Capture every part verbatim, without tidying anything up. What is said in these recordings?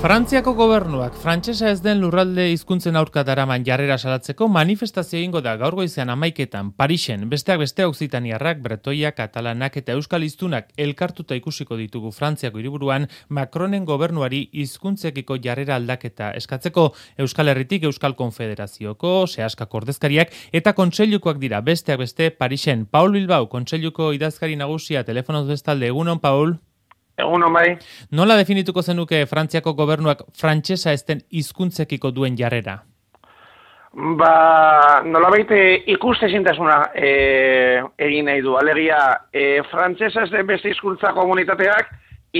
Frantziako gobernuak frantsesa ez den lurralde hizkuntzen aurka daraman jarrera salatzeko manifestazio egingo da gaur goizean hamaiketan Parisen, besteak beste oksitaniarrak, bretoiak, katalanak eta euskal hiztunak elkartuta ikusiko ditugu Frantziako hiriburuan Macronen gobernuari hizkuntzekiko jarrera aldaketa eskatzeko. Euskal Herritik Euskal Konfederazioko, sehaskako ordezkariak eta kontseilukoak dira besteak beste Parisen. Paul Bilbao, kontseiluko idazkari nagusia, telefonoz bestalde. Egunon, Paul. Egunon bai. Nola definituko zenuke Frantziako gobernuak frantsesa ez den hizkuntzekiko duen jarrera? Ba, nolabait ikustezintasuna e, egin nahi du. Alegia, e, frantsesa ez den beste hizkuntza komunitateak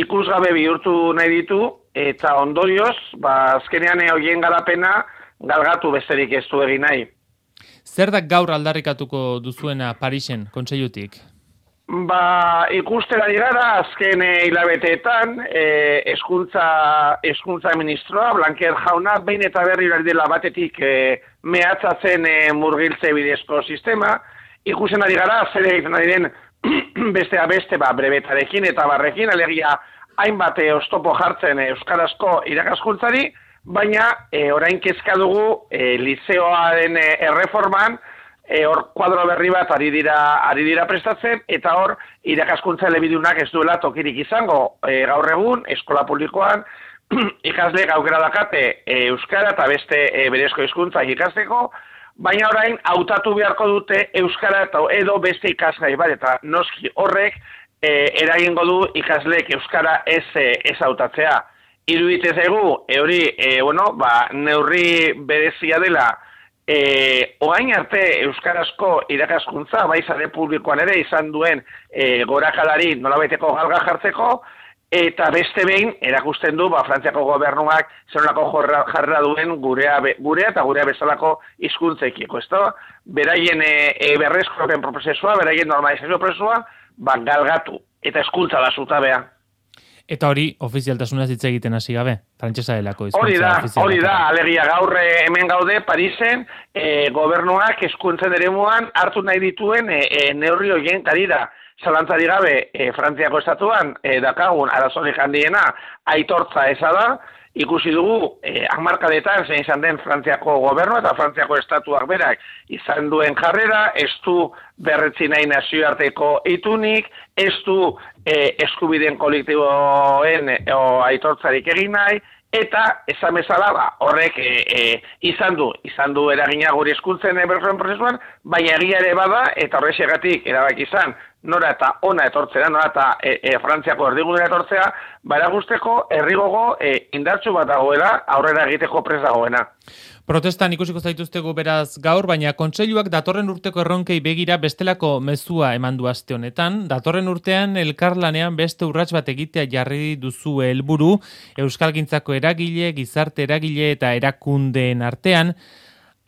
ikusgabe bihurtu nahi ditu, eta ondorioz, ba, azkenean horien garapena galgatu besterik ez du egin nahi. Zer da gaur aldarrikatuko duzuena Parisen, kontseilutik? Ba, ikustera digara, azken hilabeteetan, eh, eskuntza, eskuntza ministroa, Blanquer jauna, behin eta berri dela batetik eh, mehatzatzen eh, murgiltze bidezko sistema, ikusten ari gara, zer egiten ari den bestea beste, ba, brebetarekin eta barrekin, alegia hainbat eh, oztopo jartzen eh, euskarazko irakaskuntzari, baina eh, orain kezka dugu eh, lizeoaren eh, erreforman, E, hor kuadro berri bat ari dira, ari dira prestatzen, eta hor irakaskuntza elebidunak ez duela tokirik izango. E, gaur egun, eskola publikoan, ikasleek aukera dakate e, euskara eta beste e, berezko hizkuntza ikasteko, baina orain hautatu beharko dute euskara eta edo beste ikasgai bat, eta noski horrek e, eragingo du ikasleek euskara ez, ez hautatzea. Iruditzen zaigu, e, hori, e, bueno, ba, neurri berezia dela, E, oain arte euskarazko irakaskuntza, bai sare publikoan ere izan duen e, gorakalari nolabaiteko galga jartzeko, eta beste behin erakusten du ba, Frantziako gobernuak zenolako jarra duen gurea, gurea eta gurea bezalako hizkuntzekiko. Beraien e, e, berreskurapen prozesua, beraien normalizazio prozesua, ba, galgatu eta hezkuntza da zutabea. Eta hori, ofizialtasunaz hitz egiten hasi gabe, frantsesa delako hizkuntza. Hori da, hori da, alegia gaur hemen gaude Parisen, e, gobernuak hezkuntzen eremuan hartu nahi dituen e, e, neurri horien karira. Zalantzari gabe, e, Frantziako estatuan e, dakagun arazorik handiena aitortza eza da, ikusi dugu e, hamarkadetan zein izan den Frantziako gobernu eta Frantziako estatuak berak izan duen jarrera, ez du berretzi nahi nazioarteko itunik, ez du e, eskubideen kolektiboen e, o, aitortzarik egin nahi, eta esan bezala ba, horrek e, e, izan du, izan du eragina guri hezkuntzen berroen prozesuan, baina egia ere bada, eta horrexegatik erabaki izan, nora eta ona etortzea, nora eta e, e, Frantziako erdigunera etortzea, bara guzteko herrigogo e, indartsu bat dagoela, aurrera egiteko prest dagoena. Protestan ikusiko zaituztegu beraz gaur, baina kontseiluak datorren urteko erronkei begira bestelako mezua eman du aste honetan. Datorren urtean elkarlanean beste urrats bat egitea jarri duzu helburu, euskalgintzako eragile, gizarte eragile eta erakundeen artean.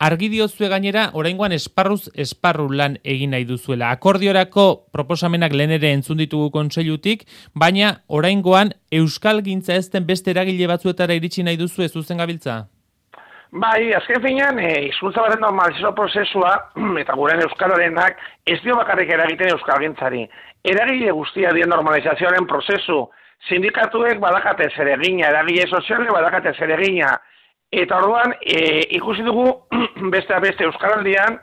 Argi diozue gainera, oraingoan esparruz esparru lan egin nahi duzuela. Akordiorako proposamenak lehen ere entzun ditugu kontseilutik, baina oraingoan euskalgintza ez den beste eragile batzuetara iritsi nahi duzu ez zuzen gabiltza? Bai, azken finean, e, hizkuntza baten normalizazio prozesua, eta guren euskararenak, ez dio bakarrik eragiten euskalgintzari. Eragile guztia dien normalizazioaren prozesu, sindikatuek badakate zeregina, eragile soziale badakate zeregina, eta orduan, e, ikusi dugu, beste beste euskaraldian,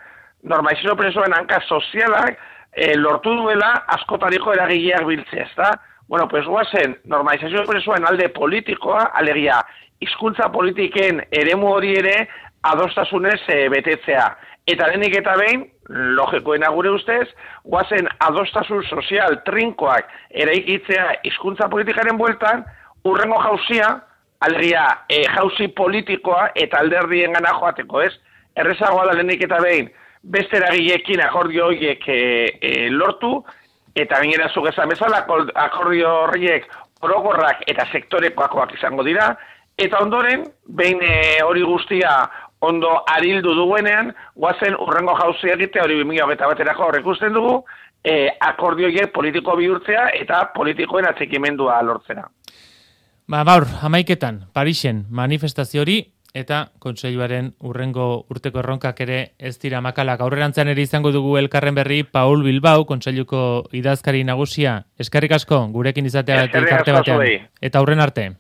normalizazio prozesuaren hanka sozialak e, lortu duela askotariko eragileak biltzea, ezta? Bueno, pues guazen, normalizazio prozesuaren alde politikoa, alegia, hizkuntza politiken eremu hori ere adostasunez e, betetzea. Eta denik eta behin, logikoena gure ustez, guazen adostasun sozial trinkoak eraikitzea hizkuntza politikaren bueltan, urrengo jauzia, alegia e, jauzi politikoa eta alderdien gana joateko, ez? Errezagoa da denik eta behin, beste eragileekin akordio horiek e, e, lortu, eta gainera zuk esan bezala, akordio horiek orokorrak eta sektorekoakoak izango dira, eta ondoren, behin hori guztia ondo arildu duguenean, guazen urrengo jauzia egitea hori bi mila hogeita baterako horrek usten dugu, e, akordioiek politiko bihurtzea eta politikoen atxikimendua lortzera. Ba, gaur, hamaiketan, Parisen manifestazio hori, eta kontseiluaren urrengo urteko erronkak ere ez dira makalak. Aurrerantzean ere izango dugu elkarren berri Paul Bilbao, kontseiluko idazkari nagusia. Eskerrik asko, gurekin izatea eta elkarte batean. Eta aurren arte.